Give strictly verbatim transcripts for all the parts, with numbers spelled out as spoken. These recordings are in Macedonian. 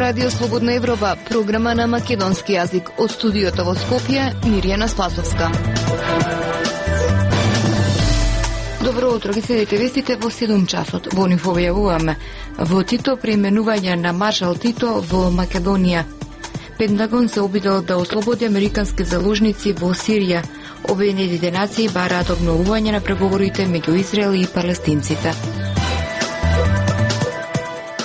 Радио Слободна Европа, програма на македонски јазик. Од студиото во Скопје, Мирјана Спасовска. Добро утро, ги следите вестите во седум часот. Во нив објавуваме: во Тито преименување на маршал Тито во Македонија. Пентагон се обидел да ослободи американски заложници во Сирија. Обединетите нации бараат обновување на преговорите меѓу Израел и палестинците.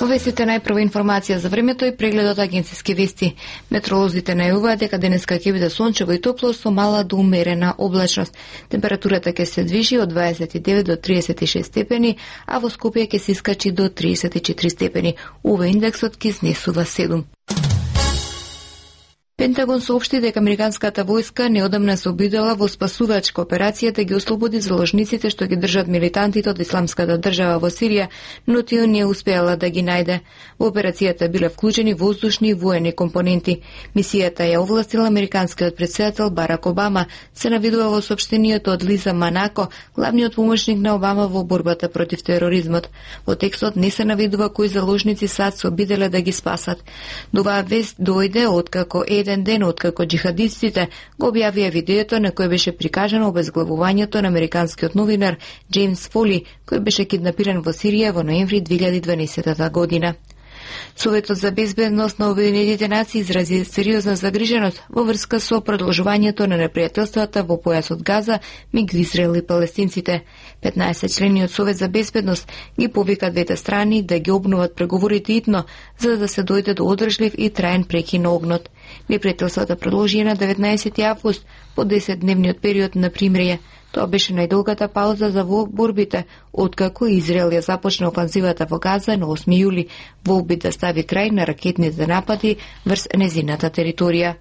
Во вестите најпрва информација за времето и прегледот агенциски вести. Метеоролозите најавуваат дека денеска ќе биде сончево и топло со мала до умерена облачност. Температурата ќе се движи од дваесет и девет до триесет и шест степени, а во Скопје ќе се искачи до триесет и четири степени. Ова индексот ќе изнесува седум. Пентагон соопшти дека американската војска неодамна се обидела во спасувачка операција да ги ослободи заложниците што ги држат милитантите од Исламската држава во Сирија, но тие не успеала да ги најде. Во операцијата биле вклучени воздушни и воени компоненти. Мисијата ја овластила американскиот претседател Барак Обама, се навидува во соопштението од Лиза Манако, главниот помошник на Обама во борбата против тероризмот. Во текстот не се навидува кои заложници САД се обиделе да ги спасат. Оваа вест дојде откако еден ден откако джихадистите го објавија видеото на кој беше прикажано обезглавувањето на американскиот новинар Джеймс Фоли, кој беше киднапиран во Сирија во ноември две илјади и дванаесета година. Советот за безбедност на Обединетите нации изрази сериозна загриженост во врска со продолжувањето на непријателствата во појасот Газа меѓу Израел и палестинците. петнаесет члени од Совет за безбедност ги повика двете страни да ги обноват преговорите итно, за да се дојде до одржлив и траен прекин на огнот. Непријателствата продолжија на деветнаесети август по десетдневниот период на примирие. Тоа беше најдолгата пауза за борбите, откако Израел ја започна офанзивата во Газа на осми јули, во обид да стави крај на ракетните напади врз незината територија.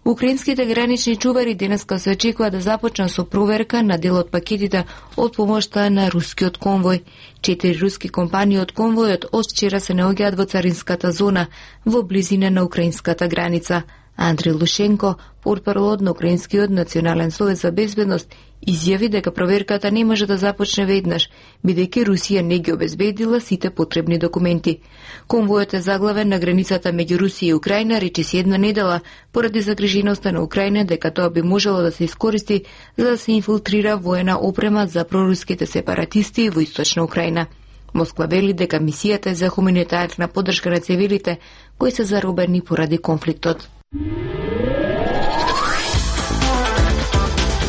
Украинските гранични чувари денеска се очекува да започнат со проверка на дел од пакетите од помошта на рускиот конвој. Четири руски компании од конвојот од вчера се наоѓаат во царинската зона во близина на украинската граница. Андрей Лушенко, портпарол на Украинскиот национален совет за безбедност, изјави дека проверката не може да започне веднаш, бидејќи Русија не ги обезбедила сите потребни документи. Конвојот е заглавен на границата меѓу Русија и Украина речиси една недела, поради загриженоста на Украина дека тоа би можело да се искористи за да се инфилтрира воена опрема за проруските сепаратисти во источна Украина. Москва вели дека мисијата е за хуманитарна поддршка на цивилите кои се заробени поради конфликтот.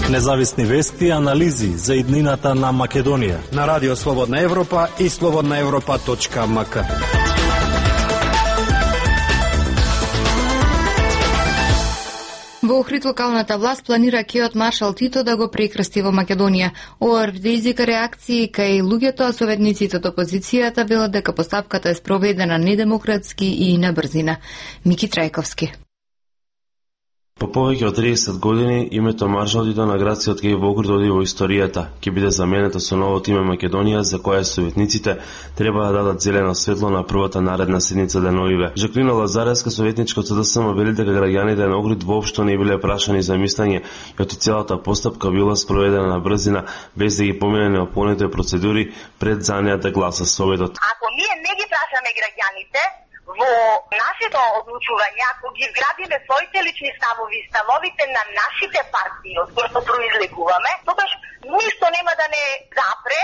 Независни вести и анализи за иднината на Македонија на Радио Слободна Европа и слободна европа точка ем ка. Во Охрид локалната власт планира кеот маршал Тито да го прекрасти во Македонија. Ова предизвика реакции кај луѓето, а советниците од опозицијата велат дека постапката е спроведена недемократски и на брзина. Мики Трајковски. По повеќе од триесет години, името маршал Тито на градскиот кеј во Охрид оди во историјата. Ќе биде заменето со новото име Македонија, за кое советниците треба да дадат зелено светло на првата наредна седница деновиве. Жаклина Лазаревска, советничка од СДСМ, вели дека граѓаните на Охрид воопшто не биле прашани за мислење и од целата постапка била спроведена на брзина, без да ги помине неопходните процедури пред за неа да гласа советот. Ако ние не ги прашаме граѓаните во нашето одлучување, ако ги вградиме своите лични ставови, ставовите на нашите партии, од кои произлегуваме, тогаш ништо нема да не запре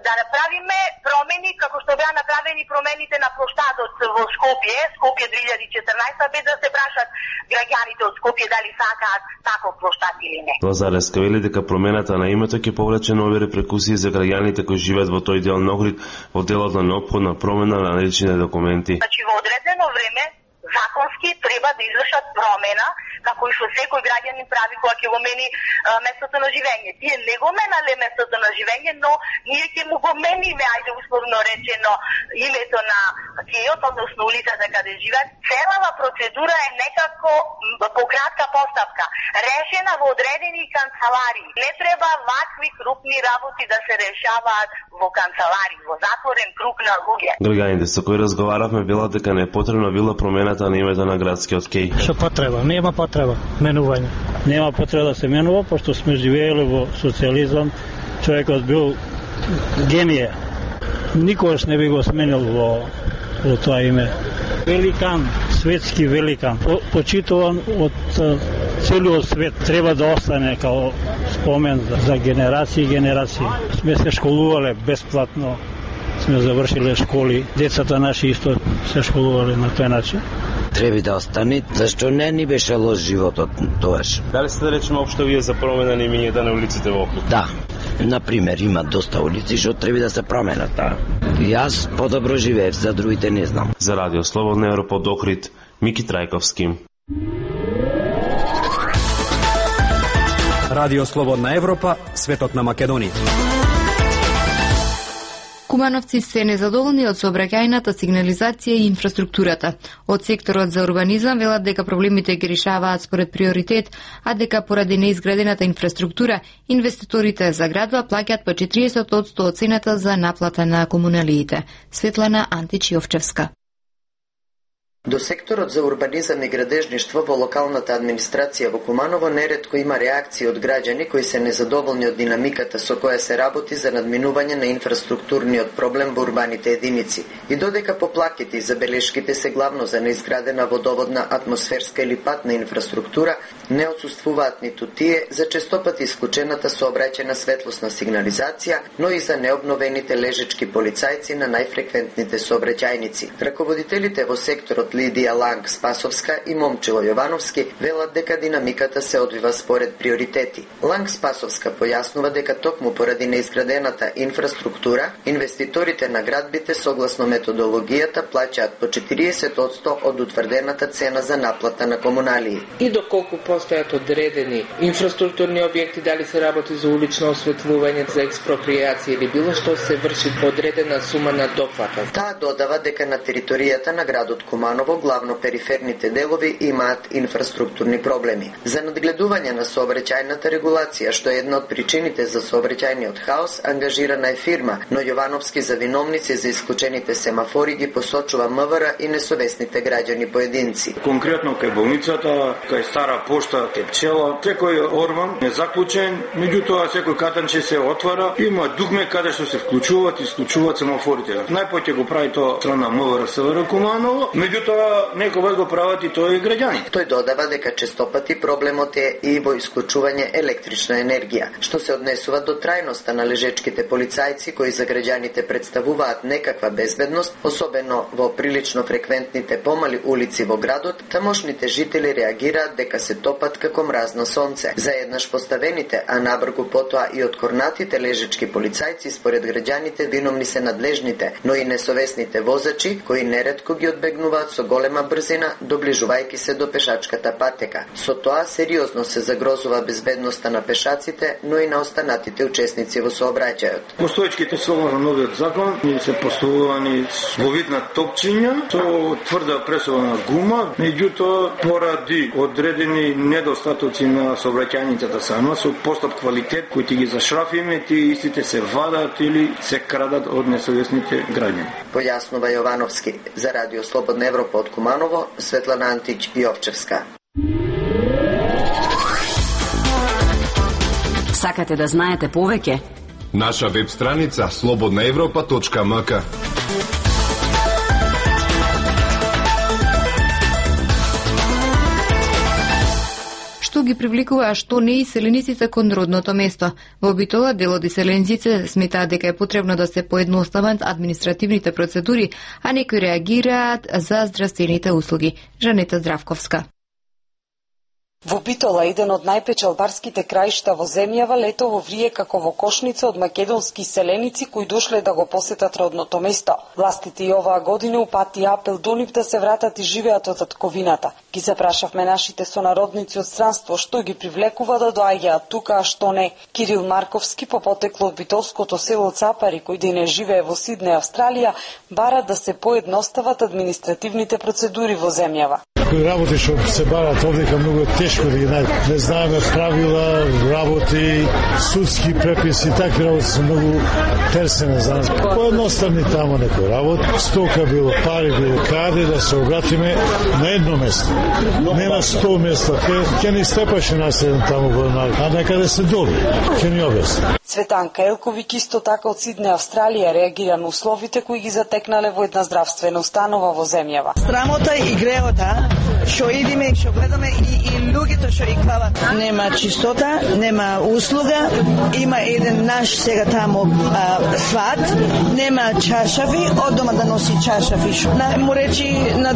да направиме промени како што беа направени промените на плоштадот во Скопје, Скопје две илјади и четрнаесета, без да се прашат граѓаните од Скопје дали сакаат таков плоштад или не. Лазаревска вели дека промената на името ќе повлече нови репрекусии за граѓаните кои живеат во тој дел на Охрид во делот на неопходна промена на личните документи. Значи во одредено време законски треба да извршат промена, како и што секој граѓанин прави кога ќе го мени а, местото на живење. Тие не го менале местото на живење, но ние ќе му го мениме, ајде условно речено, името на кејот, односно улицата каде живеат. Целава процедура е некако по кратка постапка, решена во одредени канцелари. Не треба вакви крупни работи да се решаваат во канцелари, во затворен круг на луѓе. Граѓаните со кои разговаравме велат дека не е потребна била промената на името на градскиот кеј. Што потреба? Нема потреба менување. Нема потреба да се менува, пошто сме живееле во социјализам. Човекот бил генија. Никогаш не би го сменил во, во тоа име. великан, светски великан, почитуван од целиот свет, треба да остане као спомен за генерации и генерации. Сме се школувале бесплатно, сме завршиле школи, децата наши исто се школувале на тој начин. Треба да остане, зашто не ни беше лош животот тоаш. Дали сте да речеме општо вие за промена на имињата на улиците во Охрид? Да. Например, има доста улици што треба да се променат. Да. Јас подобро живеев, за другите не знам. За Радио Слободна Европа од Охрид, Мики Трајковски. Радио Слободна Европа, светот на Македонија. Кумановци се незадоволни од сообраќајната сигнализација и инфраструктурата. Од секторот за урбанизам велат дека проблемите ги решаваат според приоритет, а дека поради неизградената инфраструктура, инвеститорите за градва плаќаат по четириесет одсто од цената за наплата на комуналиите. Светлана Антич-Јовчевска. До секторот за урбанизам и градежништво во локалната администрација во Куманово неретко има реакции од граѓани кои се незадоволни од динамиката со која се работи за надминување на инфраструктурниот проблем во урбаните единици. И додека поплаките и забелешките се главно за неизградена водоводна, атмосферска или патна инфраструктура, не отсуствуваат ниту тие за честопати исклучената сообраќајна светлосна сигнализација, но и за необновените лежечки полицајци на најфреквентните сообраќајници. Раководителите во секторот Лидија Ланг Спасовска и Момчило Јовановски велат дека динамиката се одвива според приоритети. Ланг Спасовска појаснува дека токму поради неизградената инфраструктура, инвеститорите на градбите согласно методологијата плаќаат по четириесет одсто од утврдената цена за наплата на комуналии. И доколку постојат одредени инфраструктурни објекти, дали се работи за улично осветлување, за експропријација или било што, се врши одредена сума на доплата. Таа додава дека на територијата на градот Куманово главно периферните делови имаат инфраструктурни проблеми. За надгледување на сообраќајната регулација, што е една од причините за сообраќајниот хаос, ангажирана е фирма, но Јовановски за виновници за исклучените семафори ги посочува МВР и несовесните граѓани поединци. Конкретно кај болницата, кај Стара пошта, кај пчела, секој орман е заклучен, меѓутоа секој катанче се отвара, има дугме каде што се вклучуваат и исклучуваат семафорите. Најпоќе го прави тоа страна МВР СВР Куманово, меѓутоа некогаш го прават и тој граѓани. Тој додава дека честопати проблемот е и во исклучување електрична енергија, што се однесува до трајноста на лежечките полицајци кои за граѓаните представуваат некаква безбедност, особено во прилично фреквентните помали улици во градот. Тамошните жители реагираат дека се топат како мразно сонце. Заеднаш поставените, а набргу потоа и откорнатите лежечки полицајци според граѓаните виновни се надлежните, но и несовесните возачи кои неретко ги одбегнуваат со голема брзина, доближувајќи се до пешачката патека. Со тоа сериозно се загрозува безбедноста на пешаците, но и на останатите учесници во сообраќајот. Постоечките слово на новиот закон ни се поставувани во вид на топчиња со тврда пресована гума, меѓутоа поради одредени недостатоци на сообраќајницата сама, со постап квалитет кои ти ги зашрафиме, тие истите се вадат или се крадат од несовесните граѓани. Појаснува Јовановски за Радио Слободна Европа од Куманово, Светлана Антич-Јовчевска. Сакате да знаете повеќе? Наша веб страница слободна европа точка ем ка. Што ги привлекува, а што не иселениците кон родното место. Во Битола дел од иселениците сметаат дека е потребно да се поедностават административните процедури, а некои реагираат за здравствените услуги. Жанета Здравковска. Во Битола, еден од најпечалбарските краишта во земјава, летово врие како во кошница од македонски иселеници кои дошле да го посетат родното место. Властите и оваа година упати апел до нив да се вратат и живеат од татковината. Ги запрашавме нашите сонародници од странство што ги привлекува да доаѓаат тука, а што не. Кирил Марковски, по потекло од битолското село Цапари, кој дене живее во Сидне, Австралија, бара да се поедностават административните процедури во земјава. некои работи што се барат овдека многу е тешко да ги најдеме. Не знаеме правила, работи, судски преписи, такви работи се многу терсени за нас. Поедноставни тамо некој работ, стока било, пари било, каде да се обратиме на едно место. Не на сто места, ке, ке ни степаше нас еден тамо во а некаде се доби, ке ни објасни. Цветанка Елковик исто така од Сидне, Австралија, реагира на условите кои ги затекнале во една здравствена установа во земјава. Срамота и греота, што идиме и што гледаме и, и луѓето што и клават. Нема чистота, нема услуга, има еден наш сега тамо а, сват, нема чашави, од дома да носи чашави. На, му речи на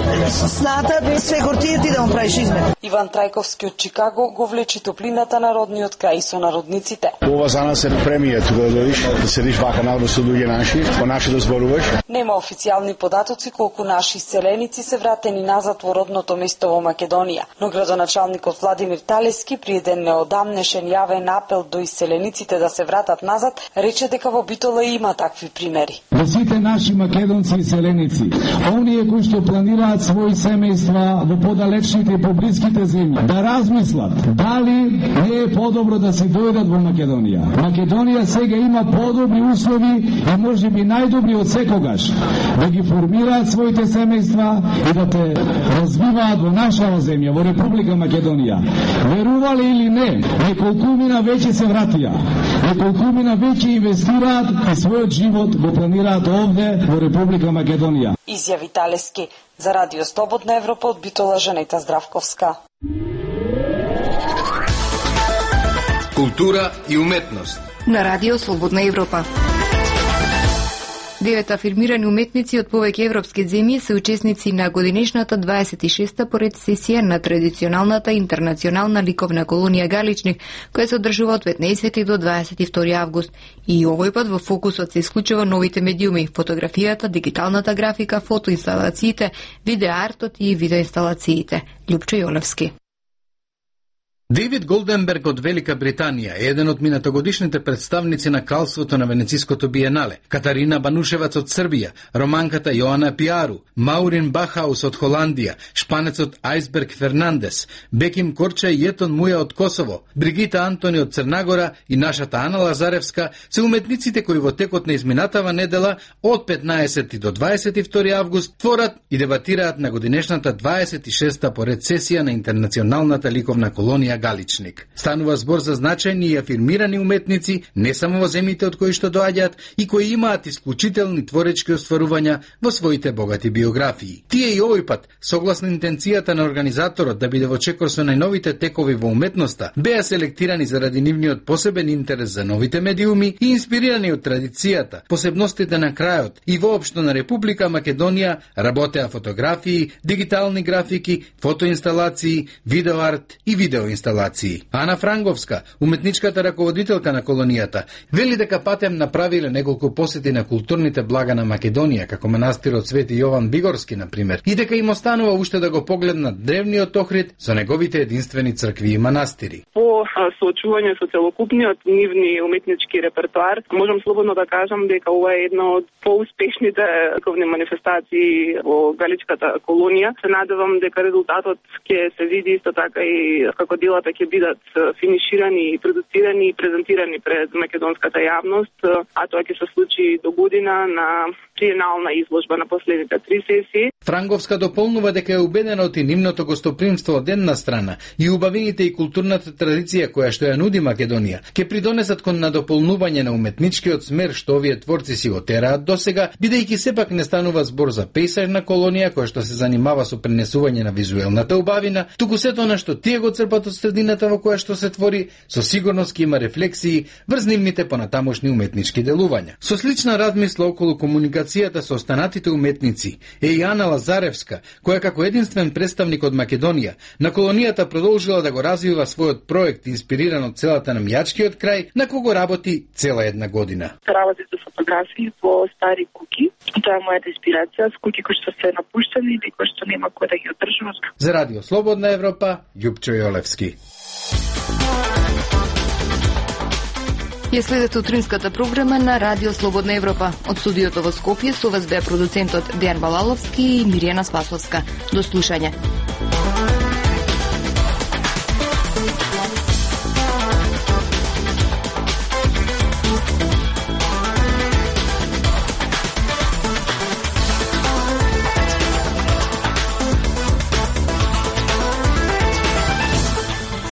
сната, све гортија ти да му правиш измет. Иван Трајковски од Чикаго го влечи топлината на родниот крај со народниците. Ова за нас е премија тука да дојдеш, да седиш вака наодно со луѓе наши, по наши да зборуваш. Нема официјални податоци колку наши селеници се вратени назад во родното место во Македонија, но градоначалникот Владимир Талески при еден неодамнешен јавен апел до иселениците да се вратат назад, рече дека во Битола има такви примери. За сите наши македонци и селеници, оние кои што планираат своји семејства во подалечните и поблиските земји, да размислат дали не е подобро да се дојдат во Македонија. Македонија сега има подобри услови и можеби најдобри од секогаш да ги формираат своите семејства и да те развиваат во нашава земја, во Република Македонија. Верувале или не, неколкумина веќе се вратија. Неколкумина веќе инвестираат и својот живот го планираат овде во Република Македонија. Изјави Талески за Радио Слободна Европа од Битола Жанета Здравковска. Култура и уметност на Радио Слободна Европа. Девет афирмирани уметници од повеќе европски земји се учесници на годинешната дваесет и шеста поред сесија на традиционалната интернационална ликовна колонија Галичник, која се одржува од петнаесети до дваесет и втори август. И овој пат во фокусот се исклучува новите медиуми, фотографијата, дигиталната графика, фотоинсталациите, видеоартот и видеоинсталациите. Љупчо Јолевски. Дейвид Голденберг од Велика Британија е еден од минатогодишните представници на кралството на Венециското биенале, Катарина Банушевац од Србија, романката Јоана Пиару, Маурин Бахаус од Холандија, шпанецот Ајсберг Фернандес, Беким Корча и Етон Муја од Косово, Бригита Антони од Црнагора и нашата Ана Лазаревска се уметниците кои во текот на изминатава недела од петнаесети до дваесет и втори август творат и дебатираат на годинешната дваесет и шеста поред сесија на интернационалната ликовна колонија Галичник. Станува збор за значајни и афирмирани уметници не само во земјите од кои што доаѓаат и кои имаат исклучителни творечки остварувања во своите богати биографии. Тие и овој пат, согласно интенцијата на организаторот да биде во чекор со најновите текови во уметноста, беа селектирани заради нивниот посебен интерес за новите медиуми и инспирирани од традицијата, посебностите на крајот и воопшто на Република Македонија работеа фотографии, дигитални графики, фотоинсталации, видеоарт и видеоинсталации. Ана Франговска, уметничката раководителка на колонијата, вели дека патем направиле неколку посети на културните блага на Македонија, како манастирот Свети Јован Бигорски, например, и дека им останува уште да го погледнат древниот Охрид со неговите единствени цркви и манастири. По соочување со целокупниот нивни уметнички репертоар, можам слободно да кажам дека ова е една од поуспешните ликовни манифестации во Галичката колонија. Се надевам дека резултатот ќе се види исто така и како делата ќе бидат финиширани и продуцирани и презентирани пред македонската јавност, а тоа ќе се случи до година на триенална изложба на последните три сесии. Франговска дополнува дека е убедена од нивното гостопримство од една страна и убавините и културната традиција која што ја нуди Македонија ќе придонесат кон надополнување на уметничкиот смер што овие творци си го тераат досега, бидејќи сепак не станува збор за пејсажна колонија која што се занимава со пренесување на визуелната убавина, туку сето она што тие го црпат од средината во која што се твори, со сигурност ќе има рефлексии врз нивните понатамошни уметнички делувања. Со слична размисла околу комуникацијата со останатите уметници е и Ана Лазаревска, која како единствен представник од Македонија на колонијата продолжила да го развива својот проект инспириран од целата намјачкиот крај, на кого работи цела една година. Работи со фотографии во стари куки. Тоа е мојата инспирација, с куки кои што се напуштени или кои што нема кој да ги одржува. За Радио Слободна Европа, Љупчо Јолевски. Ја следете утринската програма на Радио Слободна Европа. Од студиото во Скопје со вас беа продуцентот Дејан Балаловски и Миријана Спасовска. До слушање.